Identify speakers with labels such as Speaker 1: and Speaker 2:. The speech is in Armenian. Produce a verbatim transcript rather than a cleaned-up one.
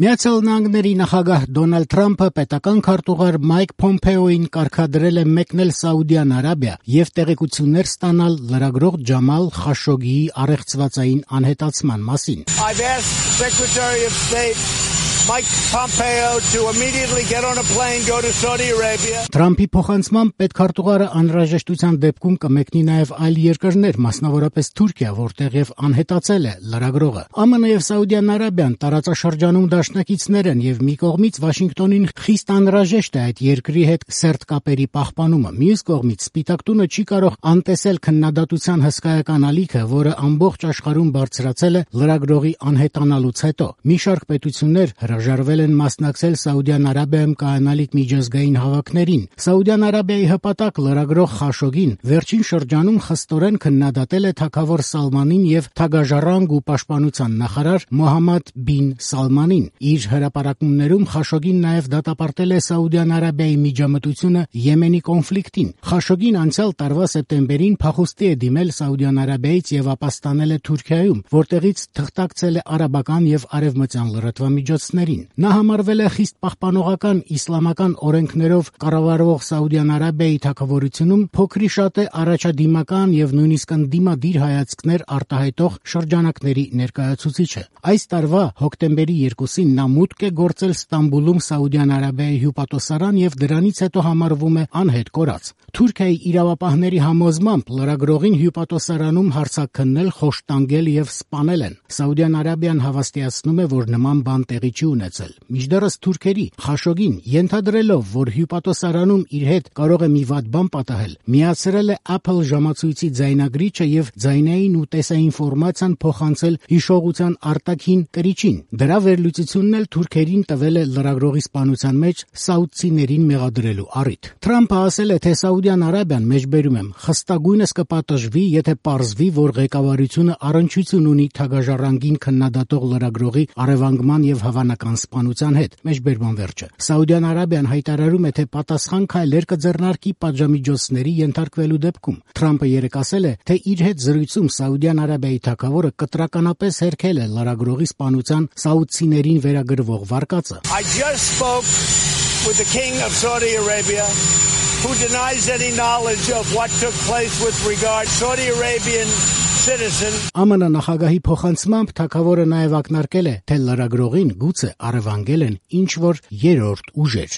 Speaker 1: Միացյալ Նահանգների նախագահ Դոնալդ Թրամփը պետական քարտուղար Մայք Փոմփեոյին կարգադրել է մեկնել Սաուդյան Արաբիա եւ տեղեկություններ ստանալ լրագրող Ջամալ Խաշոգգիի առեղծվածային անհետացման մասին։
Speaker 2: I've asked Secretary of State Mike Pompeo to immediately get on a plane, go to Saudi Arabia.
Speaker 1: Թրամփի փոխանցմամբ պետքարտուղարը անհրաժեշտության դեպքում կմեկնի նաև այլ երկրներ, մասնավորապես Թուրքիա, որտեղ եւ անհետացել է լրագրողը։ ԱՄՆ եւ Սաուդյան Արաբիան տարածաշրջանում դաշնակիցներ են եւ մի կողմից Վաշինգտոնին խիստ անհրաժեշտ է այդ երկրի հետ սերտ կապերի պահպանումը։ Մյուս կողմից Սպիտակ տունը չի կարող անտեսել քննադատության հսկայական ալիքը, որը ամբողջ աշխարհում բարձրացել է լրագրողի անհետանալուց հետո։ Մի շարք պետություններ հրաժարվել են մասնակցել Սաուդյան Արաբիայում կայանալիք միջազգային հավաքներին։ Սաուդյան Արաբիայի հպատակ լրագրող Խաշոգգին վերջին շրջանում խստորեն քննադատել է թագավոր Սալմանին եւ թագաժառանգ ու պաշտպանության նախարար Մոհամմադ բին Սալմանին։ Իր հրապարակումներում Խաշոգգին նաև դատապարտել է Սաուդյան Արաբիայի միջամտությունը Եմենի կոնֆլիկտին։ Խաշոգգին անցյալ տարվա սեպտեմբերին փախուստի է դիմել Սաուդյան Արաբիայից եւ ապաստանել է Թուրքիայում, որտեղից թղթակցել է արաբական եւ արևմտյան լրատվամիջոցներին։ Նա համարվել է խիստ պահպանողական իսլամական օրենքներով կառավարվող Սաուդյան Արաբիայի թագավորությունում փոքրի շատ է առաջադիմական եւ նույնիսկ ընդդիմադիր հայացքներ արտահայտող շրջանակների ներկայացուցիչը։ Այս տարվա հոկտեմբերի երկուսին նա մուտք է գործել Ստամբուլում Սաուդյան Արաբիայի հյուպատոսարան եւ դրանից հետո համարվում է անհետ կորած։ Թուրքիայի իրավապահների համոզմամբ լրագրողին հյուպատոսարանում հարցաքննել, խոշտանգել եւ սպանել են։ Սաուդյան Արաբիան հավաստիացնում է, որ նման բան տեղի չի ունեցել։ Մինչդեռս թուրքերի Խաշոգգին ենթադրելով, որ հյուպատոսարանում իր հետ կարող է մի վատ բան պատահել, միացրել է Apple ժամացույցի ձայնագրիչը եւ ձայնային ու տեսային ինֆորմացիան փոխանցել հիշողության արտաքին կրիչին։ Դրա վերլուծությունն էլ թուրքերին տվել է լրագրողի սպանության մեջ սաուդցիներին մեղադրելու առիթ։ Թրամփը ասել է, թե Սաուդյան Արաբիան մեջբերում եմ խստագույնս կպատժվի, եթե պարզվի, որ ղեկավարությունը առնչություն ունի թագաժառանգին քննադատող լրագրողի առևանգման եւ հավանական սպանության հետ։ Մեջբերման վերջը։ Սաուդյան Արաբիան հայտարարում է, թե պատասխան քայլեր կձեռնարկի պատժամիջոցների ենթարկվելու դեպքում։ Թրամփը երեկ ասել է, թե իր հետ զրույցում Սաուդյան Արաբիայի թագավորը կտրականապես հերքել է լրագրողի սպանության սաուդցիներին վերագրվող վարկածը։
Speaker 2: I just spoke with the King of Saudi Arabia, who denies any knowledge of what took place with regard to Saudi Arabian citizen.
Speaker 1: ԱՄՆ նախագահի փոխանցմամբ թագավորը նաև ակնարկել է, թե լրագրողին գուցե առևանգել են ինչ-որ երրորդ ուժեր։